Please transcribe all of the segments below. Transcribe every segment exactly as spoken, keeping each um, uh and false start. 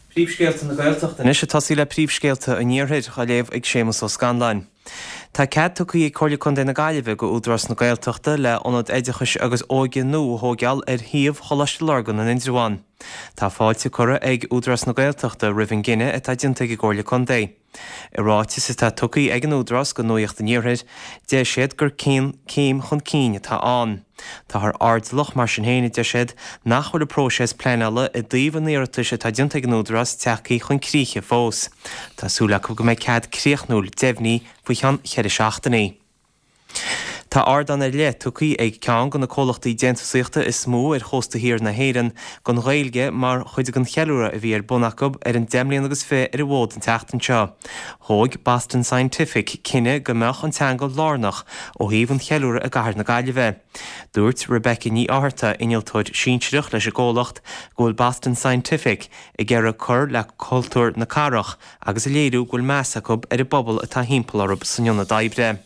Príomhscéalta na Gaeltachta anois ag tosaí le príomhscéalta an Iarthair á léamh ag Séamus Ó Scanláin. Tá cead tugtha ag Comhairle Contae na Gaillimhe go Údarás na Gaeltachta le ionad oideachais agus óige nua a thógáil ar shuíomh Choláiste Lurgan in Indreabhán. Tá fáilte curtha ag Údarás na Gaeltachta roimh an gcinneadh atá déanta ag an gComhairle Contae. I ráiteas atá tugtha ag an Údarás go Nuacht an Iarthair, deir siad gur céim chun cinn atá ann. Táthar airdeallach mar sin féin a deir siad nach bhfuil an próiseas pleanála i dtaobh an iarratais atá déanta ag an Údarás tagtha chun críche fós. Tá súil acu go mbeidh cead críochnúil deimhnithe faoi cheann ceithre seachtainí. Tá ardán ar leith tugtha ag ceann de na comhlachtaí déantúsaíochta is mó ar chósta thiar na hÉireann don Ghaeilge mar chuid den cheiliúradh a bhí ar bun acu ar an deich mbliana agus fiche ar an bhfód an tseachtain seo. Thóg Boston Scientific cinneadh go mbeadh an teanga lárnach ó thaobh an cheiliúradh i gcathair na Gaillimhe. Dúirt Rebecca Ní Fhátharta, innealtóir sinsearach leis an gcomhlacht, go bhfuil Boston Scientific ag iarraidh cur le cultúr na cathrach agus a léiriú go bhfuil meas acu ar an bpobal atá thimpeall orthu san ionad oibre.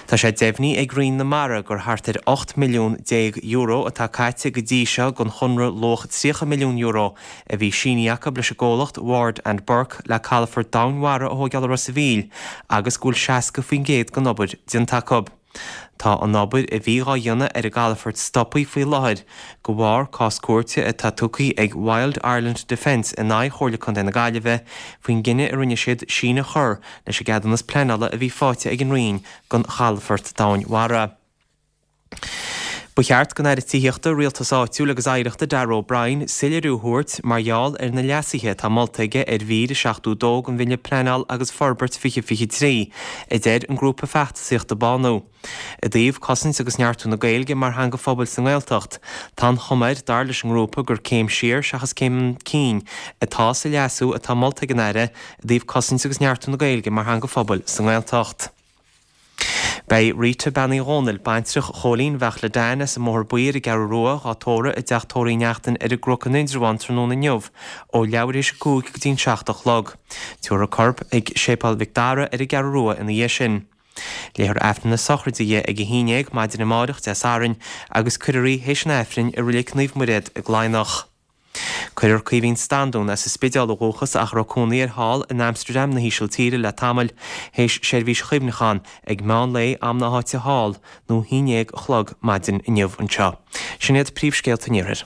Tá sé deimhnithe ag Roinn na Mara gur thart ar ocht milliún déag euro atá caite go dtí seo don chonradh luach tríocha milliún euro a bhí sínithe acu leis an gcomhlacht Ward and Burke le calafort domhainmhara a thógáil i Ros an Mhíl agus go bhfuil seasca faoin gcéad den obair déanta acu. Tá an obair a bhí á dhéanamh ar an gcalafort stoptha faoi láthair de bharr cás cúirte atá tugtha ag Wild Ireland Defence in aghaidh Chomhairle Contae na Gaillimhe faoin gcinneadh a rinne siad síneadh a chur leis an gceadúnas pleanála a bhí faighte ag an Roinn don chalafort domhainmhara. Ba cheart don Aire Tithíochta, Rialtais Áitiúil agus Oidhreachta Darragh O'Brien soiléiriú a thabhairt mar gheall ar na leasuithe atá molta aige ar mhír a seachtó dó den Bhille Pleanáil agus Forbairt fiche fiche trí, a deir an grúpa feachtasaíochta Bánú. I dtaobh cosaint agus neartú na Gaeilge mar theanga phobail sa nGaeltacht, tá an chuma air dar leis an ngrúpa gur céim siar seachas céim chun cinn atá sa leasú atá molta ag an Aire i dtaobh cosaint agus neartú na Gaeilge mar theanga phobail sa nGaeltacht. Beidh Rita Bean Uí Dhónaill, baintreach Chóilín Bheachla Dan as an mBóthar Buí ar an gCeathrú Rua dhá tórramh i dteach tórraimh Uí Neachtain ar an gCnoc in Indreabhán tráthnóna inniu ó leathuair tar éis a cúig go dtí an seacht a chlog. Tabharfar a corp ag Séipéal Mhic Dara ar an gCeathrú Rua ina dhiaidh sin. Léifear Aifreann na sochraide di ag a haon déag maidin amárach Dé Sathairn agus cuirfear í théis an Aifrinn i Reilig Naomh Muiréad i gCladhnach. Cuirfear Caoimhín Standún as an Spidéal ó dhúchas ach a raibh cónaí air thall in Amsterdam na hÍsiltíre le tamall théis seirbhís chuimhneacháin ag meán lae am na háite thall nó a haon déag a chlog maidin inniu anseo. Sin iad príomhscéalta an Iarthair.